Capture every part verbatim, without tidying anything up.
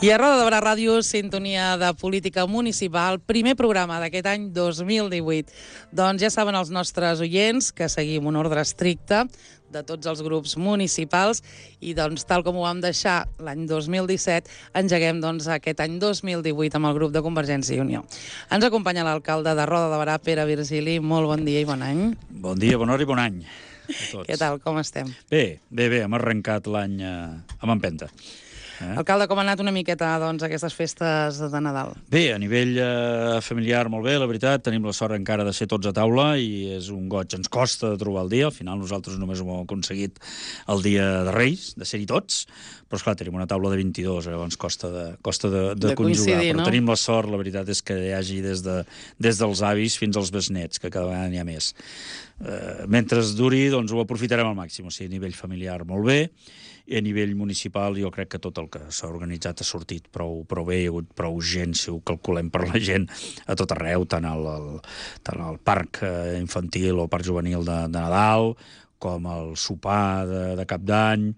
I a Roda de Barà Ràdio, sintonia de política municipal, primer programa d'aquest any dos mil divuit. Doncs ja saben els nostres oients que seguim un ordre estricte de tots els grups municipals i doncs tal com ho vam deixar l'any dos mil disset, engeguem doncs aquest any dos mil divuit amb el grup de Convergència i Unió. Ens acompanya l'alcalde de Roda de Barà, Pere Virgili. Molt bon dia i bon any. Bon dia, bona hora i bon any a tots. Què tal, com estem? Bé, bé, bé, hem arrencat l'any eh, amb empenta. Eh? Alcalde, com ha anat una miqueta doncs, aquestes festes de Nadal? Bé, a nivell eh, familiar molt bé, la veritat, tenim la sort encara de ser tots a taula i és un goig, ens costa de trobar el dia, al final nosaltres només ho hem aconseguit el dia de Reis, de ser-hi tots, però esclar, tenim una taula de vint-i-dos, llavors costa de, costa de, de, de conjugar, però no? Tenim la sort, la veritat és que hi hagi des, de, des dels avis fins als besnets, que cada vegada n'hi ha més. Eh, mentre es duri, doncs ho aprofitarem al màxim, o sigui, a nivell familiar molt bé, i a nivell municipal jo crec que tot el que s'ha organitzat ha sortit prou, prou bé, hi ha hagut prou gent, si ho calculem per la gent, a tot arreu, tant al, al, tant al parc infantil o parc juvenil de, de Nadal, com el sopar de, de Cap d'Any,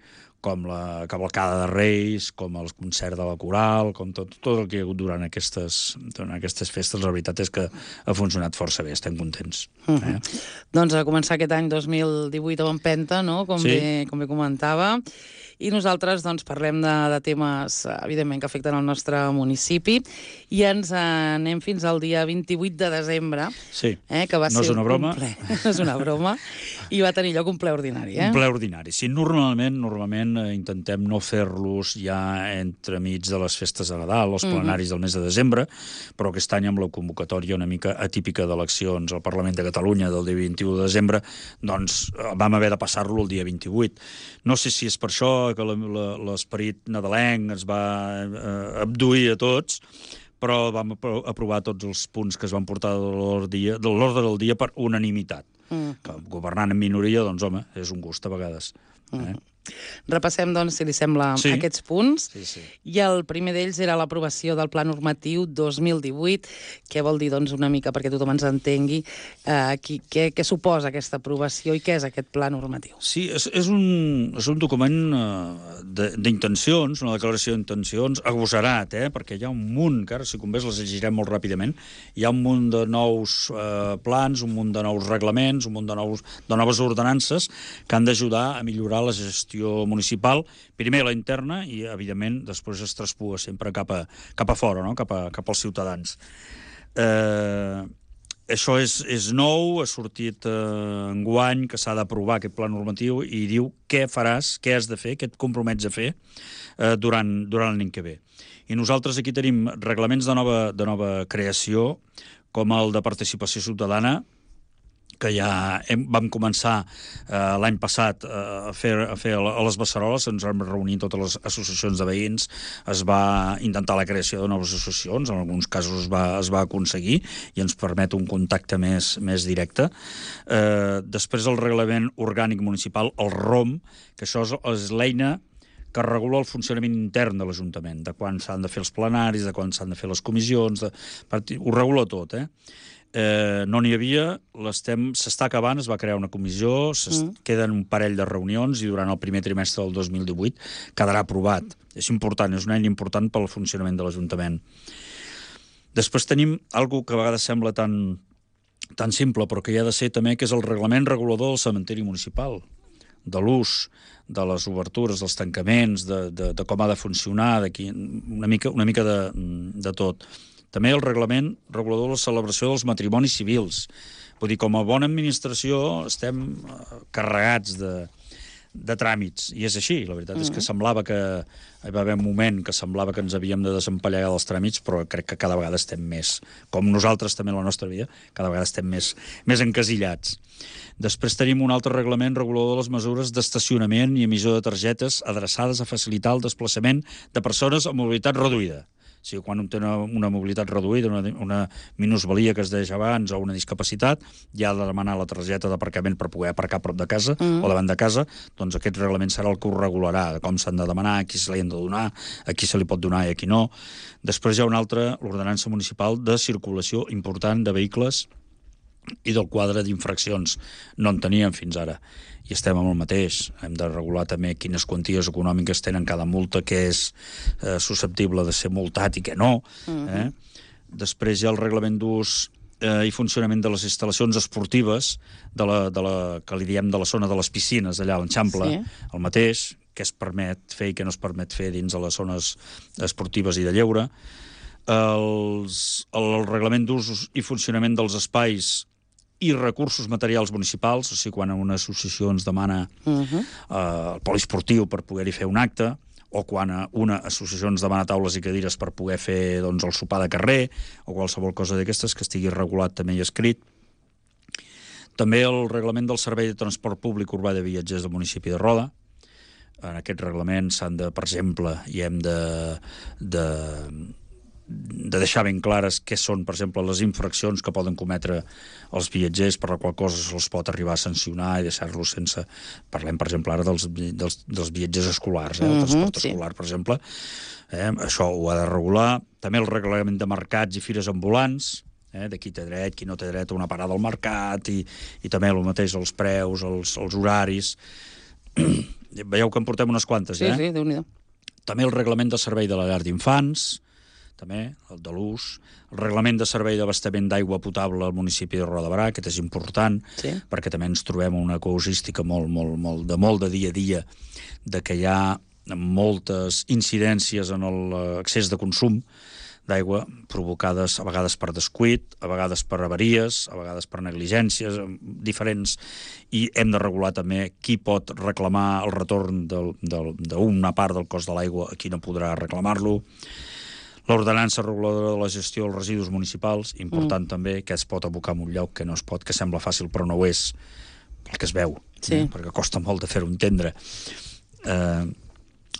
com la cavalcada de Reis, com el concert de la coral, com tot, tot el que hi ha hagut durant aquestes, durant aquestes festes, la veritat és que ha funcionat força bé, estem contents. Uh -huh. eh? Doncs a començar aquest any dos mil divuit amb empenta, no? com, sí. bé, com bé comentava, i nosaltres doncs, parlem de, de temes, evidentment, que afecten el nostre municipi, i ens anem fins al dia vint-i-vuit de desembre, sí. eh, que va no ser és una broma. un ple. No és una broma, i va tenir lloc un ple ordinari. Eh? Un ple ordinari. Sí, normalment, normalment eh, intentem no fer-los ja entremig de les festes de Nadal, els plenaris uh -huh. del mes de desembre, però aquest any amb la convocatòria una mica atípica d'eleccions al Parlament de Catalunya del dia vint-i-u de desembre, doncs vam haver de passar-lo el dia vint-i-vuit. No sé si és per això que l'esperit nadalenc ens va eh, abduir a tots, però vam aprovar tots els punts que es van portar de l'ordre del dia per unanimitat. Mm. Que governant en minoria, doncs, home, és un gust a vegades. Eh? Mm. Repassem, doncs, si li sembla, sí. aquests punts. Sí, sí. I el primer d'ells era l'aprovació del Pla Normatiu dos mil divuit. Què vol dir, doncs, una mica, perquè tothom ens entengui, eh, qui, què, què suposa aquesta aprovació i què és aquest Pla Normatiu? Sí, és, és, un, és un document eh, d'intencions, una declaració d'intencions, agosarat, eh, perquè hi ha un munt, que ara, si convé, les llegirem molt ràpidament, hi ha un munt de nous eh, plans, un munt de nous reglaments, un munt de, nous, de noves ordenances que han d'ajudar a millorar la gestió municipal, primer la interna i, evidentment, després es traspuga sempre cap a, cap a fora, no? cap, a, cap als ciutadans. Eh, això és, és nou, ha sortit eh, enguany que s'ha d'aprovar aquest pla normatiu i diu què faràs, què has de fer, què et compromets a fer eh, durant, durant l'any que ve. I nosaltres aquí tenim reglaments de nova, de nova creació, com el de participació ciutadana, que ja hem, vam començar eh, l'any passat eh, a, fer, a fer a les Beceroles, ens vam reunir totes les associacions de veïns, es va intentar la creació de noves associacions, en alguns casos es va, es va aconseguir i ens permet un contacte més, més directe. Eh, després el reglament orgànic municipal, el ROM, que això és, és l'eina que regula el funcionament intern de l'Ajuntament, de quan s'han de fer els plenaris, de quan s'han de fer les comissions, de... ho regula tot, eh? Eh, no n'hi havia, s'està acabant, es va crear una comissió, mm. queden un parell de reunions i durant el primer trimestre del dos mil divuit quedarà aprovat. És important, és una eina important pel funcionament de l'Ajuntament. Després tenim algo que a vegades sembla tan, tan simple, però que hi ha de ser també, que és el reglament regulador del cementiri municipal, de l'ús, de les obertures, dels tancaments, de, de, de com ha de funcionar, una mica, una mica de, de tot. També el reglament regulador de la celebració dels matrimonis civils. Vull dir, com a bona administració estem carregats de, de tràmits, i és així. La veritat mm. és que semblava que hi va haver un moment que semblava que ens havíem de desempallegar dels tràmits, però crec que cada vegada estem més, com nosaltres també en la nostra vida, cada vegada estem més, més encasillats. Després tenim un altre reglament regulador de les mesures d'estacionament i emissió de targetes adreçades a facilitar el desplaçament de persones amb mobilitat reduïda. O sigui, quan un té una, una mobilitat reduïda, una, una minusvalia que es deia abans o una discapacitat, ja ha de demanar la targeta d'aparcament per poder aparcar a prop de casa mm. o davant de casa, doncs aquest reglament serà el que ho regularà, de com s'han de demanar, a qui se li han de donar, a qui se li pot donar i a qui no. Després hi ha una altra, l'ordenança municipal de circulació important de vehicles i del quadre d'infraccions. No en teníem fins ara. I estem amb el mateix. Hem de regular també quines quanties econòmiques tenen cada multa, que és eh, susceptible de ser multat i que no. Uh-huh. eh? Després hi ha el reglament d'ús eh, i funcionament de les instal·lacions esportives de la, de la, que li diem de la zona de les piscines, allà a l'Eixample, sí. El mateix, què es permet fer i què no es permet fer dins de les zones esportives i de lleure. Els, el reglament d'ús i funcionament dels espais i recursos materials municipals, o sigui, quan una associació ens demana uh-huh. eh, el poliesportiu per poder-hi fer un acte, o quan una associació ens demana taules i cadires per poder fer doncs, el sopar de carrer, o qualsevol cosa d'aquestes que estigui regulat també i escrit. També el reglament del Servei de Transport Públic Urbà de Viatgers del municipi de Roda. En aquest reglament s'han de, per exemple, i hem de... de de deixar ben clares què són, per exemple, les infraccions que poden cometre els viatgers, per la qual cosa se'ls pot arribar a sancionar i deixar-los sense... Parlem, per exemple, ara dels, dels, dels viatgers escolars, eh? El transport uh-huh, escolar, sí. Per exemple. Eh? Això ho ha de regular. També el reglament de mercats i fires ambulants, eh? De qui té dret, qui no té dret a una parada al mercat, i, i també el mateix, els preus, els, els horaris. Veieu que en portem unes quantes, sí, eh? Sí, sí, Déu-n'hi-do. També el reglament de servei de la llar d'infants, també, el de l'ús, el reglament de servei d'abastament d'aigua potable al municipi de Roda de Barà, aquest és important, sí. Perquè també ens trobem una causística molt, molt, molt, de molt de dia a dia, de que hi ha moltes incidències en l'excés de consum d'aigua provocades a vegades per descuit, a vegades per avaries, a vegades per negligències diferents, i hem de regular també qui pot reclamar el retorn d'una part del cost de l'aigua, a qui no podrà reclamar-lo. L'ordenança reguladora de la gestió dels residus municipals, important mm. també, que es pot abocar en un lloc que no es pot, que sembla fàcil però no ho és, pel que es veu, sí. eh? Perquè costa molt de fer-ho entendre. Eh,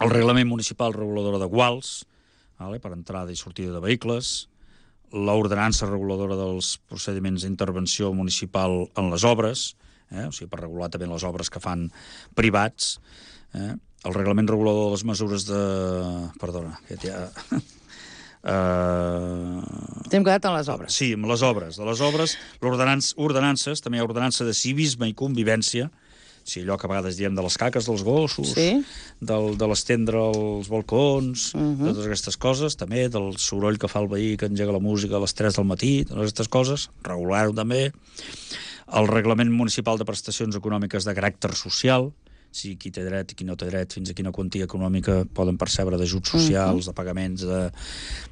el reglament municipal reguladora de guals, vale, per entrada i sortida de vehicles, l'ordenança reguladora dels procediments d'intervenció municipal en les obres, eh? O sigui, per regular també les obres que fan privats, eh? El reglament regulador de les mesures de... Perdona, que ja... Uh... T'hem quedat en les obres. Sí, amb les obres. De les obres, ordenances, també hi ha ordenança de civisme i convivència, o sigui, allò que a vegades diem de les caques dels gossos, sí? del, de l'estendre els balcons, uh-huh. de totes aquestes coses, també del soroll que fa el veí que engega la música a les tres del matí, totes aquestes coses, regular-ho també. El reglament municipal de prestacions econòmiques de caràcter social, si qui té dret i qui no té dret, fins a quina quantia econòmica poden percebre d'ajuts socials, uh-huh. de pagaments, de,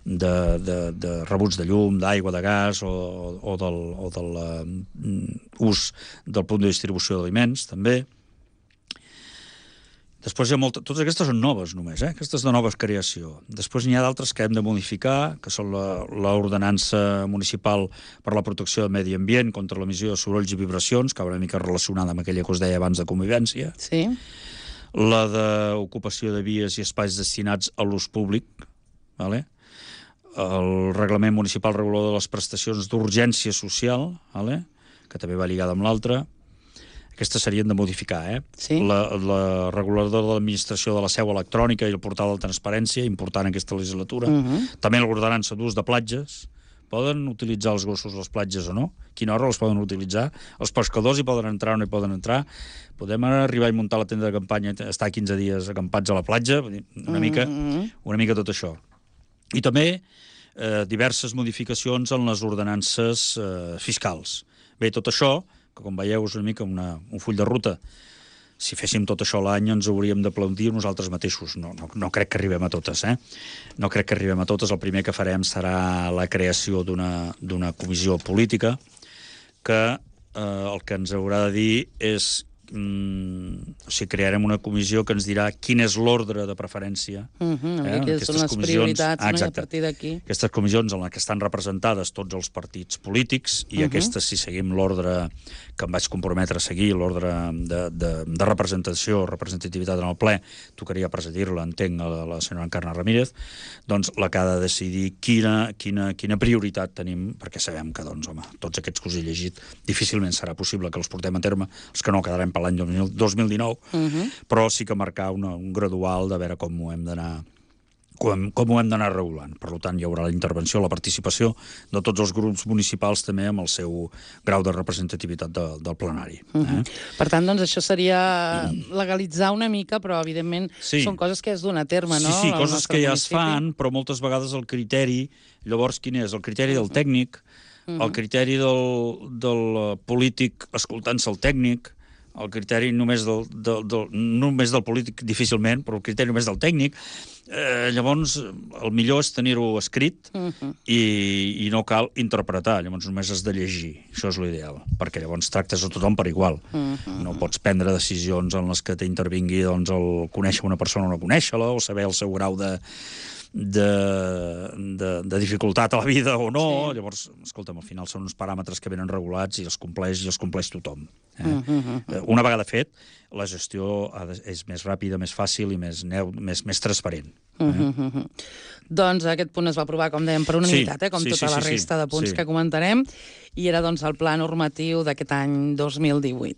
de, de, de rebuts de llum, d'aigua, de gas, o, o del, o del uh, ús del punt de distribució d'aliments, també. Després hi ha molta... Totes aquestes són noves, només, eh? Aquestes de noves creació. Després n'hi ha d'altres que hem de modificar, que són l'ordenança municipal per la protecció del medi ambient contra l'emissió de sorolls i vibracions, que va una mica relacionada amb aquella que us deia abans de convivència. Sí. La d'ocupació de vies i espais destinats a l'ús públic, vale? El reglament municipal regulador de les prestacions d'urgència social, vale? Que també va lligada amb l'altra. Aquestes serien de modificar, eh? Sí. La, la reguladora de l'administració de la seu electrònica i el portal de transparència, important aquesta legislatura. Uh-huh. També l'ordenança d'ús de platges. Poden utilitzar els gossos les platges o no? Quina hora les poden utilitzar? Els pescadors hi poden entrar o no hi poden entrar? Podem arribar i muntar la tenda de campanya, estar quinze dies acampats a la platja? Una mica, uh-huh. una mica tot això. I també eh, diverses modificacions en les ordenances eh, fiscals. Bé, tot això, que com veieu és una mica una, un full de ruta. Si féssim tot això l'any ens hauríem d'aplaudir nosaltres mateixos. No, no, no crec que arribem a totes, eh? No crec que arribem a totes. El primer que farem serà la creació d'una d'una comissió política que eh, el que ens haurà de dir és... Mm, o sigui, crearem una comissió que ens dirà quin és l'ordre de preferència. Uh-huh, eh? Quines són les prioritats, ah, no? I a partir d'aquí... Aquestes comissions en les que estan representades tots els partits polítics i uh-huh. aquestes, si seguim l'ordre que em vaig comprometre a seguir, l'ordre de, de, de representació, representativitat en el ple, tocaria presidir-la, entenc, a la, la senyora Encarna Ramírez, doncs la que ha de decidir quina, quina, quina prioritat tenim, perquè sabem que, doncs, home, tots aquests que us he llegit difícilment serà possible que els portem a terme, els que no quedarem per l'any dos mil dinou, uh-huh. però sí que marcar una, un gradual de veure com ho hem d'anar com, com ho hem d'anar regulant. Per tant, hi haurà la intervenció, la participació de tots els grups municipals també amb el seu grau de representativitat de, del plenari. Eh? Uh-huh. Per tant, doncs, això seria legalitzar una mica, però, evidentment, sí. són coses que es duen a terme, no? Sí, sí, coses que ja municipi. es fan, però moltes vegades el criteri... Llavors, quin és? El criteri del tècnic, uh-huh. el criteri del, del polític escoltant-se el tècnic, el criteri només del, del, del, només del polític difícilment, però el criteri només del tècnic. Eh, llavors, el millor és tenir-ho escrit uh-huh. i, i no cal interpretar, llavors només has de llegir. Això és l'ideal, perquè llavors tractes a tothom per igual. Uh-huh. No pots prendre decisions en les que t'intervingui doncs, el conèixer una persona o no conèixer-la, o saber el seu grau de... De, de, de dificultat a la vida o no, sí. Llavors, escolta'm, al final són uns paràmetres que venen regulats i els compleix i els compleix tothom. Eh? Uh -huh. Una vegada fet, la gestió ha de, és més ràpida, més fàcil i més, neu, més, més transparent. Eh? Uh -huh. Doncs aquest punt es va aprovar, com dèiem, per unanimitat, sí, eh? com sí, tota sí, la sí, resta sí, de punts sí. que comentarem, i era doncs, el pla normatiu d'aquest any dos mil divuit.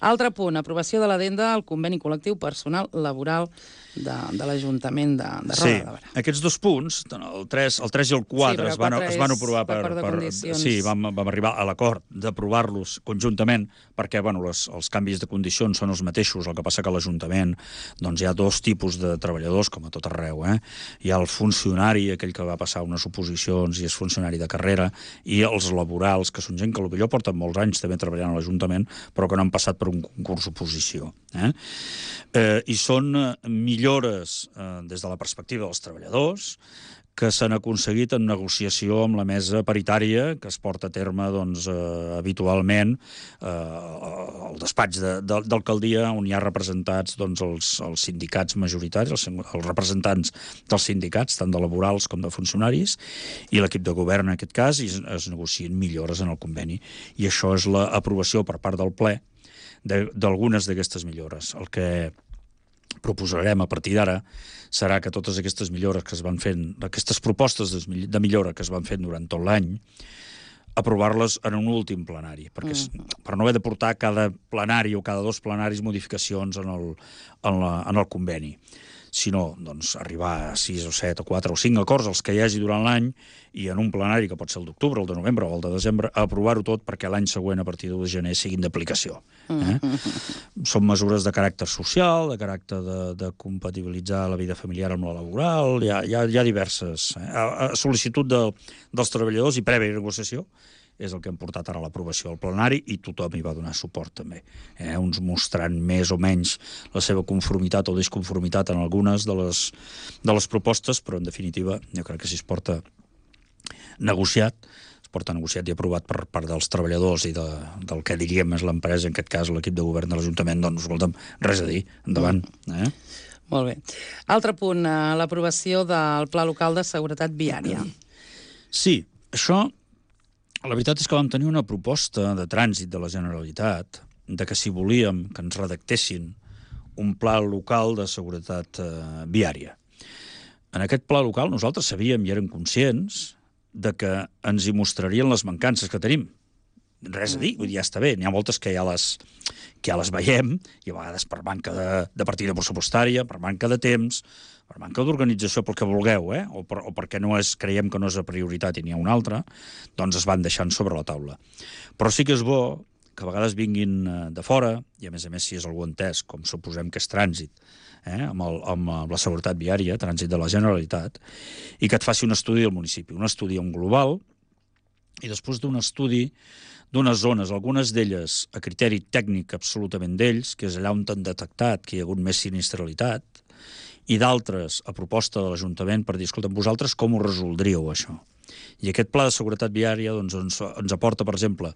Altre punt, aprovació de l'adenda al conveni col·lectiu personal laboral de, de l'Ajuntament de, de Roda sí, de Berà. Aquests dos punts, el tres, el tres i el quatre, sí, es, van, es van aprovar per... per sí, vam, vam arribar a l'acord d'aprovar-los conjuntament, perquè bueno, les, els canvis de condicions són els mateixos, el que passa que a l'Ajuntament doncs, hi ha dos tipus de treballadors, com a tot arreu. Eh? Hi ha el funcionari, aquell que va passar unes oposicions i és funcionari de carrera, i els laborals, que són gent que potser porten molts anys també treballant a l'Ajuntament, però que no han passat per un concurs d'oposició. Eh? Eh, I són millores eh, des de la perspectiva dels treballadors que s'han aconseguit en negociació amb la mesa paritària que es porta a terme doncs, eh, habitualment eh, al despatx d'alcaldia, on hi ha representats doncs, els, els sindicats majoritaris, els, els representants dels sindicats, tant de laborals com de funcionaris, i l'equip de govern en aquest cas, i es, es negocien millores en el conveni. I això és l'aprovació per part del ple d'algunes d'aquestes millores. El que proposarem a partir d'ara serà que totes aquestes millores que es van fent, aquestes propostes de millora que es van fent durant tot l'any, aprovar-les en un últim plenari, perquè mm. per no haver de portar cada plenari o cada dos plenaris modificacions en el, en la, en el conveni, sinó doncs, arribar a sis o set o quatre o cinc acords, els que hi hagi durant l'any, i en un plenari, que pot ser el d'octubre, el de novembre o el de desembre, aprovar-ho tot perquè l'any següent, a partir de l'u de gener, siguin d'aplicació. Eh? Mm-hmm. Són mesures de caràcter social, de caràcter de, de compatibilitzar la vida familiar amb la laboral, hi ha, hi ha, hi ha diverses. Eh? A, a sol·licitud de, dels treballadors i prèvia negociació, és el que hem portat ara a l'aprovació al plenari i tothom hi va donar suport també. Eh? Uns mostrant més o menys la seva conformitat o disconformitat en algunes de les, de les propostes, però en definitiva jo crec que si es porta negociat, es porta negociat i aprovat per part dels treballadors i de, del que diríem és l'empresa, en aquest cas l'equip de govern de l'Ajuntament, doncs escolta'm, res a dir, endavant. Eh? Molt bé. Altre punt, l'aprovació del Pla Local de Seguretat Viària. Sí, això... La veritat és que vam tenir una proposta de trànsit de la Generalitat de que si volíem que ens redactessin un pla local de seguretat eh, viària. En aquest pla local nosaltres sabíem i érem conscients de que ens hi mostrarien les mancances que tenim. Res a dir, vull dir, ja està bé. N'hi ha moltes que ja les, que ja les veiem, i a vegades per manca de, de partida pressupostària, per manca de temps, per manca d'organització, pel que vulgueu, eh? o, per, o perquè no és, creiem que no és a prioritat i n'hi ha una altra, doncs es van deixant sobre la taula. Però sí que és bo que a vegades vinguin de fora, i a més a més si és algú entès, com suposem que és trànsit, eh? amb, el, amb la seguretat viària, trànsit de la Generalitat, i que et faci un estudi del municipi, un estudi en global, i després d'un estudi d'unes zones, algunes d'elles a criteri tècnic absolutament d'ells, que és allà on han detectat que hi ha hagut més sinistralitat, i d'altres a proposta de l'Ajuntament per dir, escolta, vosaltres com ho resoldríeu, això? I aquest pla de seguretat viària doncs, ens, ens aporta, per exemple,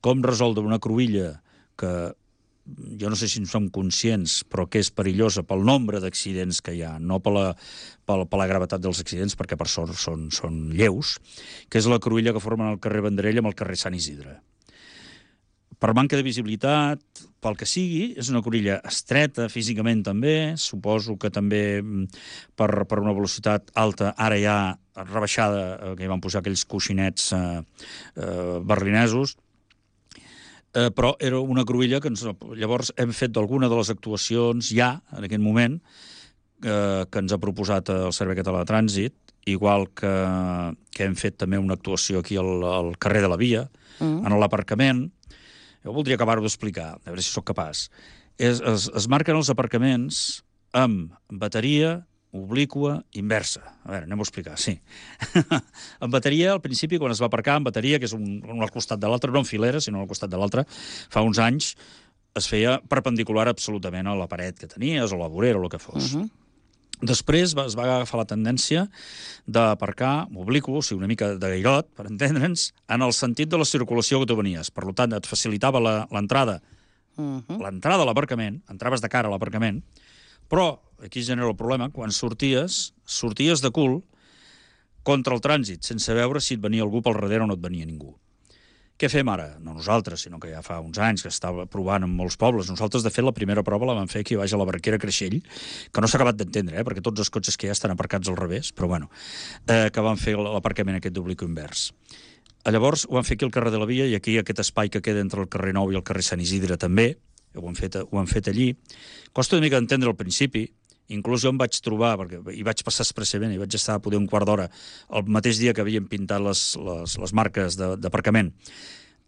com resoldre una cruïlla que jo no sé si en som conscients, però que és perillosa pel nombre d'accidents que hi ha, no per la, per, per la gravetat dels accidents, perquè per sort són, són lleus, que és la cruïlla que formen el carrer Vendrell amb el carrer Sant Isidre. Per manca de visibilitat, pel que sigui, és una cruïlla estreta, físicament també, suposo que també per, per una velocitat alta, ara hi ha rebaixada, que hi van posar aquells coixinets eh, eh, berlinesos, eh, però era una cruïlla que ens, llavors hem fet d'alguna de les actuacions ja, en aquest moment, eh, que ens ha proposat el Servei Català de Trànsit, igual que, que hem fet també una actuació aquí al, al carrer de la Via, mm. en l'aparcament. Jo voldria acabar-ho d'explicar, a veure si sóc capaç. Es, es, es marquen els aparcaments amb bateria obliqua inversa. A veure, anem a explicar, sí. En bateria, al principi, quan es va aparcar en bateria, que és un, un al costat de l'altre, no en filera, sinó al costat de l'altre, fa uns anys es feia perpendicular absolutament a la paret que tenies, o la vorera, o el que fos. Uh -huh. Després es va agafar la tendència d'aparcar obliqu, o sigui, una mica de gairot, per entendre'ns, en el sentit de la circulació que tu venies. Per tant, et facilitava l'entrada uh -huh. l'entrada a l'aparcament, entraves de cara a l'aparcament, però, aquí es genera el problema, quan sorties, sorties de cul contra el trànsit, sense veure si et venia algú pel darrere o no et venia ningú. Què fem ara? No nosaltres, sinó que ja fa uns anys que estava provant en molts pobles. Nosaltres, de fet, la primera prova la vam fer aquí baix a la Barquera Creixell, que no s'ha acabat d'entendre, eh, perquè tots els cotxes que hi ha estan aparcats al revés, però bueno, eh, que van fer l'aparcament aquest d'obliqu invers. Llavors, ho van fer aquí al carrer de la Via, i aquí aquest espai que queda entre el carrer Nou i el carrer Sant Isidre també, ho han fet, ho han fet allí. Costa una mica d'entendre al principi, inclús jo em vaig trobar, perquè hi vaig passar expressament, i vaig estar a poder un quart d'hora el mateix dia que havien pintat les, les, les marques d'aparcament,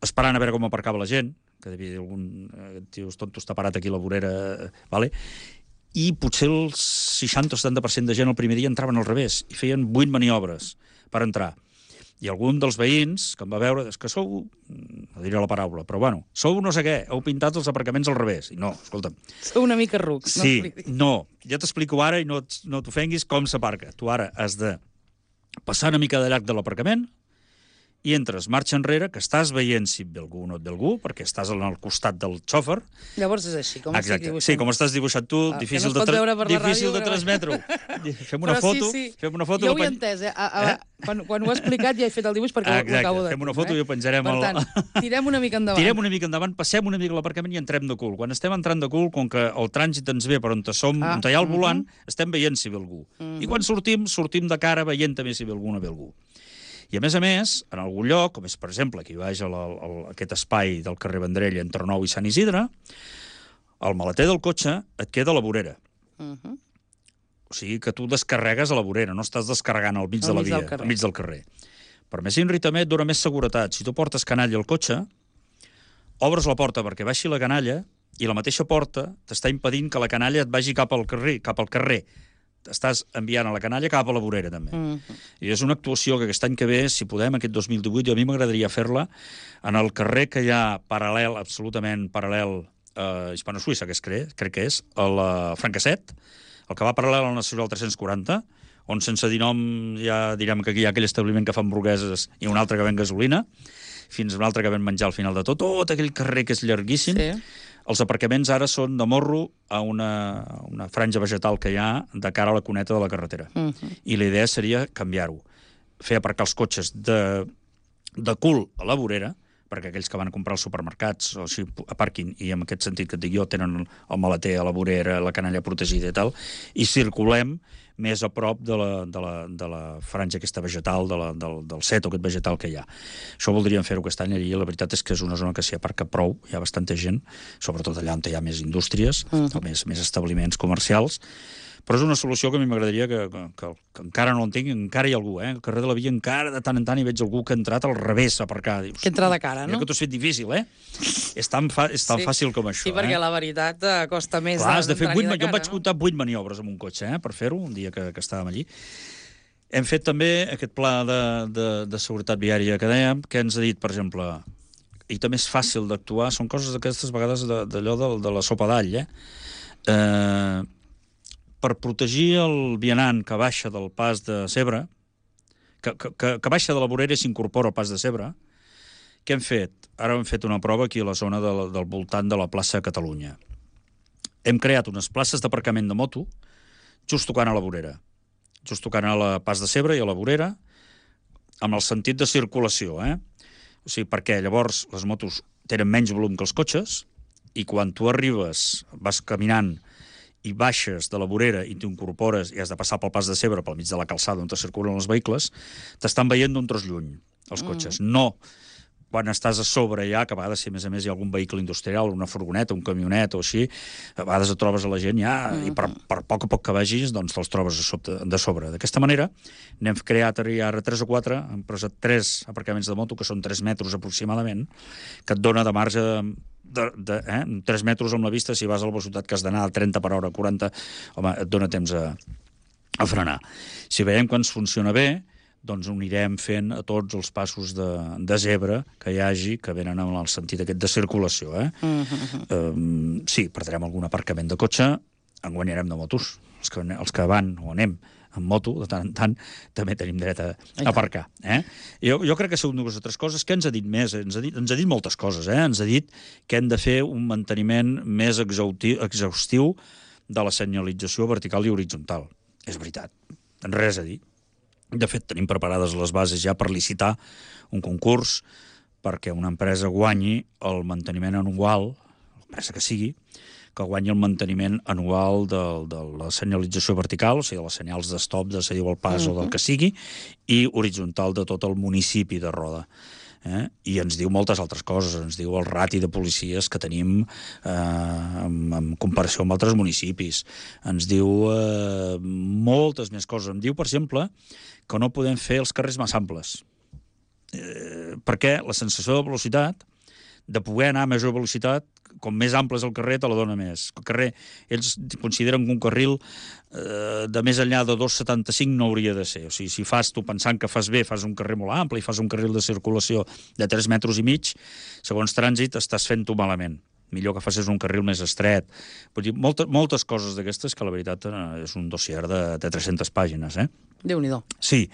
esperant a veure com aparcava la gent, que devia dir algun eh, tio tonto està parat aquí a la vorera, vale? I potser el seixanta o setanta per cent de gent el primer dia entraven al revés, i feien vuit maniobres per entrar. I algun dels veïns que em va veure, és que sou, no diré la paraula, però bueno, sou no sé què, heu pintat els aparcaments al revés. I no, escolta'm. Sou una mica rucs. Sí, no, ja t'explico ara i no, no t'ofenguis com s'aparca. Tu ara has de passar una mica de llarg de l'aparcament i entres marxa enrere, que estàs veient si et ve algú o no et ve algú, perquè estàs al costat del xòfer. Llavors és així, com estic dibuixant. Sí, com estàs dibuixant tu, ah, difícil, no de, tra difícil de transmetre-ho. Fem una foto, sí, sí. fem una foto. Jo ho he entès, eh? A, a, eh? Quan, quan ho he explicat ja he fet el dibuix perquè Exacte. ho acabo de... Fem una foto eh? i ho penjarem... Per tant, el... tirem una mica endavant. Tirem una mica endavant, passem una mica a l'aparcament i entrem de cul. Quan estem entrant de cul, com que el trànsit ens ve per on, som, ah, on hi ha el volant, uh -huh. estem veient si ve algú. Uh -huh. I quan sortim, sortim de cara veient també si ve algú o no ve algú. I, a més a més, en algun lloc, com és, per exemple, aquí baix a, la, a aquest espai del carrer Vendrell entre Nou i Sant Isidre, el maleter del cotxe et queda a la vorera. Uh -huh. O sigui que tu descarregues a la vorera, no estàs descarregant al mig de la via, al mig del carrer. Per més inri també et dona més seguretat. Si tu portes canalla al cotxe, obres la porta perquè baixi la canalla i la mateixa porta t'està impedint que la canalla et vagi cap al carrer, cap al carrer. Estàs enviant a la canalla cap a la vorera, també. Mm -hmm. I és una actuació que aquest any que ve, si podem, aquest dos mil divuit, a mi m'agradaria fer-la en el carrer que hi ha paral·lel, absolutament paral·lel a Hispano-Suïssa, que és, crec, crec que és, a la Francasset, el que va paral·lel al Nacional tres-cents quaranta, on sense dir nom ja direm que aquí hi ha aquell establiment que fa hamburgueses i un altre que ven gasolina, fins a un altre que ven menjar al final de tot, tot aquell carrer que és llarguíssim. Sí. Els aparcaments ara són de morro a una, una franja vegetal que hi ha de cara a la cuneta de la carretera. Uh -huh. I la idea seria canviar-ho. Fer aparcar els cotxes de, de cul a la vorera, perquè aquells que van a comprar als supermercats o així aparquin, i en aquest sentit que et dic jo, tenen el maleter a la vorera, la canalla protegida i tal, i circulem més a prop de la, de la, de la franja aquesta vegetal, de la, del, del seto aquest vegetal que hi ha. Això voldríem fer-ho aquest any, i la veritat és que és una zona que s'hi aparca prou, hi ha bastanta gent, sobretot allà on hi ha més indústries, uh -huh. més, més establiments comercials, però és una solució que a mi m'agradaria que, que, que, que encara no l'entenc, encara hi ha algú, eh? Al carrer de la Via encara de tant en tant hi veig algú que ha entrat al revés a aparcar. Dius, que entra de cara, no? Mira que t'ho has fet difícil, eh? És tan, fa, és tan sí. fàcil com això, sí, perquè eh? la veritat eh, costa més. Clar, has de fer vuit, de cara, jo em vaig no? comptar vuit maniobres amb un cotxe, eh? Per fer-ho, un dia que, que estàvem allí. Hem fet també aquest pla de, de, de seguretat viària que dèiem, que ens ha dit, per exemple, i també és fàcil d'actuar, són coses d'aquestes vegades d'allò de, de, de la sopa d'all, eh? Eh... per protegir el vianant que baixa del pas de Cebre, que, que, que baixa de la vorera i s'incorpora al pas de Cebre, què hem fet? Ara hem fet una prova aquí a la zona del, del voltant de la plaça Catalunya. Hem creat unes places d'aparcament de moto just tocant a la vorera, just tocant a la pas de Cebre i a la vorera, amb el sentit de circulació, eh? O sigui, perquè llavors les motos tenen menys volum que els cotxes, i quan tu arribes, vas caminant i baixes de la vorera i t'incorpores i has de passar pel pas de Cebre, pel mig de la calçada on te circulen els vehicles, t'estan veient d'un tros lluny, els cotxes. Mm. No quan estàs a sobre ja, que a vegades, si a més a més hi ha algun vehicle industrial, una furgoneta, un camionet o així, a vegades et trobes a la gent ja, mm -hmm. i per, per poc a poc que vagis, doncs te'ls trobes a sobre, de sobre. D'aquesta manera, n'hem creat ara tres o quatre, hem posat tres aparcaments de moto, que són tres metres aproximadament, que et dona de marge de, de, eh, tres metres amb la vista, si vas a la velocitat que has d'anar a trenta per hora, quaranta, home, et dona temps a, a frenar. Si veiem que ens funciona bé, doncs ho anirem fent a tots els passos de, de zebra que hi hagi, que venen en el sentit aquest de circulació. Eh? Uh-huh. Um, sí, perdrem algun aparcament de cotxe, en guanyarem de motos. Els que, els que van o anem en moto, de tant en tant, també tenim dret a, a aparcar. Eh? Jo, jo crec que són dues o tres coses. Què ens ha dit més? Ens ha dit, ens ha dit moltes coses. Eh? Ens ha dit que hem de fer un manteniment més exhaustiu, exhaustiu de la senyalització vertical i horitzontal. És veritat, res a dir. De fet, tenim preparades les bases ja per licitar un concurs perquè una empresa guanyi el manteniment anual, l'empresa que sigui, que guanyi el manteniment anual de, de la senyalització vertical, o sigui, de les senyals d'estop, de seguir el pas uh-huh. o del que sigui, i horitzontal de tot el municipi de Roda. Eh? I ens diu moltes altres coses, ens diu el rati de policies que tenim eh, en, en comparació amb altres municipis, ens diu eh, moltes més coses. Em diu, per exemple, que no podem fer els carrers massa amples, eh, perquè la sensació de velocitat, de poder anar a major velocitat, com més ample és el carrer, te la dona més. El carrer, ells consideren que un carril eh, de més enllà de dos coma setanta-cinc no hauria de ser. O sigui, si fas, tu pensant que fas bé, fas un carrer molt ample i fas un carril de circulació de tres metres i mig, segons trànsit estàs fent-ho malament. Millor que facis un carril més estret. Vull dir, moltes, moltes coses d'aquestes que la veritat és un dossier de, de tres-centes pàgines, eh? Déu-n'hi-do. Sí,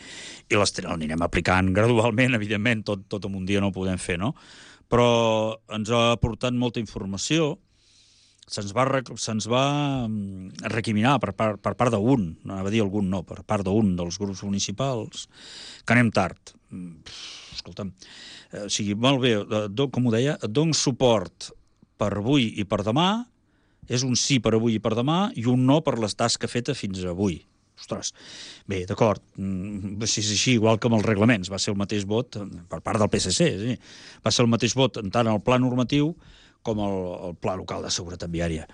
i les anirem aplicant gradualment, evidentment, tot, tot en un dia no ho podem fer, no? Però ens ha aportat molta informació, se'ns va, se'ns va recriminar per part, per part d'un, no anava a dir algun no, per part d'un dels grups municipals, que anem tard. Escolta'm, o sigui, molt bé, com ho deia, et dono suport per avui i per demà, és un sí per avui i per demà, i un no per les tasques fetes fins avui. Ostres, bé, d'acord, si és així, igual que amb els reglaments, va ser el mateix vot per part del P S C, sí. Va ser el mateix vot tant el pla normatiu com el, el pla local de seguretat viària.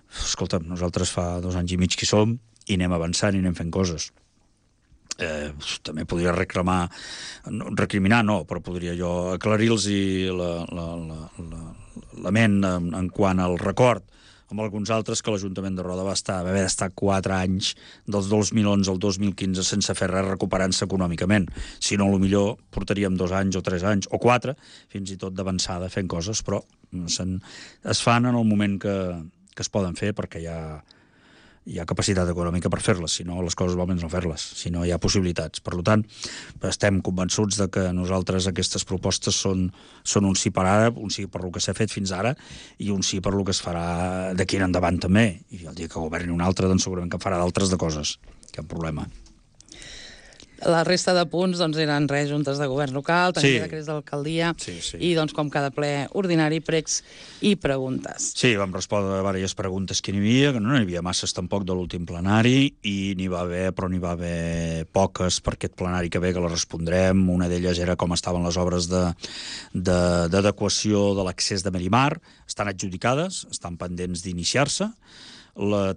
Escolta'm, nosaltres fa dos anys i mig que hi som i anem avançant i anem fent coses. Eh, també podria reclamar, no, recriminar no, però podria jo aclarir-los la, la, la, la, la ment en, en quant al record amb alguns altres que l'Ajuntament de Roda va, estar, va haver d'estar quatre anys dels dos mil onze al dos mil quinze sense fer res recuperant-se econòmicament. Si no, potser portaríem dos anys o tres anys, o quatre, fins i tot d'avançada fent coses, però es fan en el moment que, que es poden fer perquè hi ha, hi ha capacitat econòmica per fer-les, si no les coses val menys no fer-les, si no hi ha possibilitats. Per tant, estem convençuts de que nosaltres aquestes propostes són, són un sí per ara, un sí per lo que s'ha fet fins ara i un sí per lo que es farà d'aquí en endavant també. I el dia que governi un altre, doncs segurament que farà d'altres de coses. Cap problema. La resta de punts doncs, eren res, juntes de govern local, també sí. decrets d'alcaldia, sí, sí. i doncs, com cada ple ordinari, pregs i preguntes. Sí, vam respondre a diverses preguntes que n'hi havia, que no n'hi havia masses tampoc de l'últim plenari, i n'hi va haver, però n'hi va haver poques per aquest plenari que ve, que les respondrem. Una d'elles era com estaven les obres d'adequació de, de, de l'accés de Merimar. Estan adjudicades, estan pendents d'iniciar-se.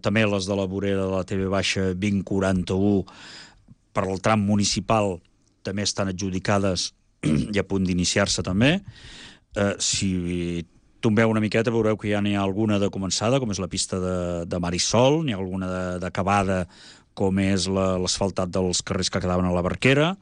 També les de la vorera de la T V baixa vint quaranta-u per al tram municipal també estan adjudicades i a punt d'iniciar-se també. Eh, si tombeu una miqueta veureu que ja n'hi ha alguna de començada, com és la pista de, de Marisol, n'hi ha alguna d'acabada, com és l'asfaltat dels carrers que quedaven a la Barquera,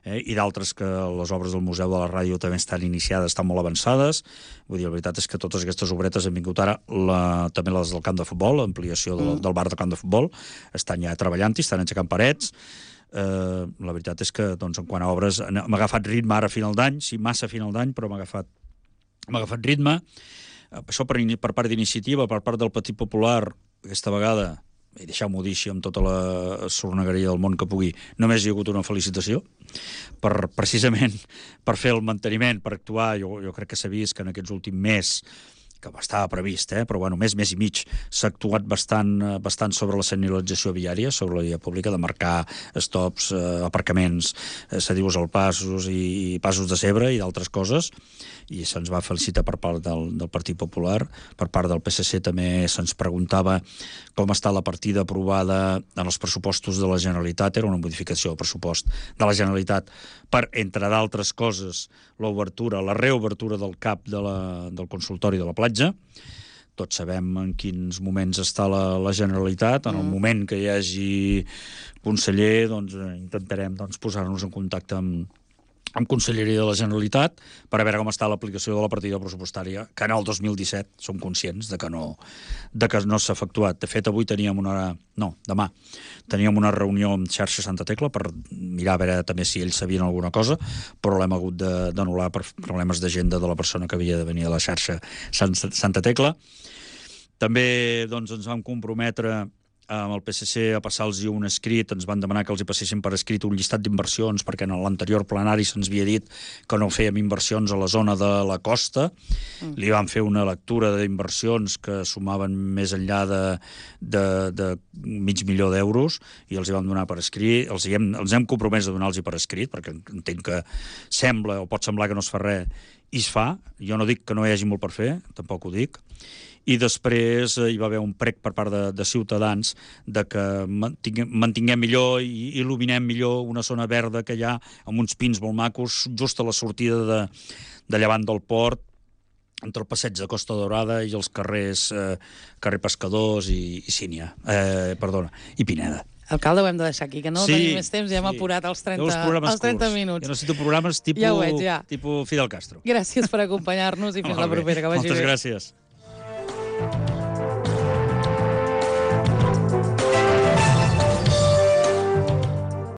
eh, i d'altres que les obres del Museu de la Ràdio també estan iniciades, estan molt avançades. Vull dir, la veritat és que totes aquestes obretes han vingut ara, la, també les del camp de futbol, l'ampliació del, del bar de camp de futbol, estan ja treballant-hi, estan aixecant parets. Uh, la veritat és que, doncs, en quant a obres, m'ha agafat ritme ara a final d'any, sí, massa a final d'any, però m'ha agafat, m'ha agafat ritme. Uh, això per, per part d'iniciativa, per part del Partit Popular, aquesta vegada, i deixeu-m'ho dir així amb tota la sornegueria del món que pugui, només hi ha hagut una felicitació, per, precisament per fer el manteniment, per actuar. Jo, jo crec que s'ha vist que en aquests últims mes que estava previst, eh? però bueno, més, més i mig. S'ha actuat bastant, bastant sobre la senyalització viària, sobre la via pública, de marcar stops, eh, aparcaments, eh, cedius al passos i, i passos de cebre i d'altres coses, i se'ns va felicitar per part del, del Partit Popular. Per part del P S C també se'ns preguntava com està la partida aprovada en els pressupostos de la Generalitat. Era una modificació del pressupost de la Generalitat per, entre d'altres coses, l'obertura, la reobertura del C A P de la, del consultori de la platja. Tots sabem en quins moments està la, la Generalitat. En el mm. moment que hi hagi conseller, doncs, intentarem doncs, posar-nos en contacte amb, amb Conselleria de la Generalitat per a veure com està l'aplicació de la partida pressupostària, que en el dos mil disset som conscients de que no, de que no s'ha efectuat. De fet, avui teníem una... No, demà teníem una reunió amb Xarxa Santa Tecla per mirar a veure també si ells sabien alguna cosa, però l'hem hagut d'anul·lar per problemes d'agenda de la persona que havia de venir a la xarxa Santa Tecla. També doncs, ens vam comprometre amb el P S C a passar-los un escrit, ens van demanar que els hi passessin per escrit un llistat d'inversions, perquè en l'anterior plenari se'ns havia dit que no fèiem inversions a la zona de la costa. Mm. Li vam fer una lectura d'inversions que sumaven més enllà de, de, de mig milió d'euros i els hi vam donar per escrit, els, hi hem, els hem compromès a donar-los per escrit, perquè entenc que sembla, o pot semblar que no es fa res, i es fa. Jo no dic que no hi hagi molt per fer, tampoc ho dic. I després hi va haver un prec per part de, de Ciutadans de que mantinguem, mantinguem millor i il·luminem millor una zona verda que hi ha amb uns pins molt macos just a la sortida de, de llevant del port, entre el passeig de Costa Daurada i els carrers eh, carrer Pescadors i, i Sínia, eh, perdona, i Pineda. Alcalde, ho hem de deixar aquí, que no sí, tenim més temps, ja hem sí. apurat els trenta, els trenta minuts. Jo necessito programes tipus, ja veig, ja. tipus Fidel Castro. Gràcies per acompanyar-nos i fins la propera, que vagi Moltes bé. Moltes gràcies.